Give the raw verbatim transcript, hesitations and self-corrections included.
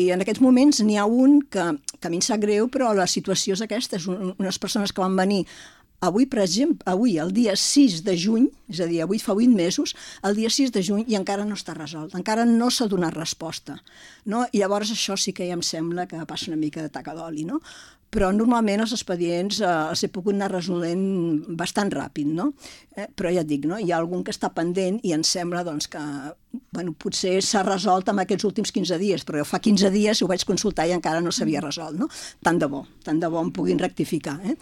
I en aquests moments n'hi ha un que, que a mi em sap greu, però la situació és aquesta, és un, unes persones que van venir avui, per exemple, avui, el dia sis de juny, és a dir, avui fa vuit mesos, el dia sis de juny i encara no està resolt, encara no s'ha donat resposta. No? I llavors això sí que ja em sembla que passa una mica de taca d'oli, no? Però normalment els expedients eh, els he pogut anar resolent bastant ràpid, no? Eh, però ja et dic, no? Hi ha algun que està pendent i em sembla doncs, que bueno, potser s'ha resolt en aquests últims quinze dies, però jo fa quinze dies ho vaig consultar i encara no s'havia resolt, no? Tant de bo, tant de bo em puguin rectificar. Eh?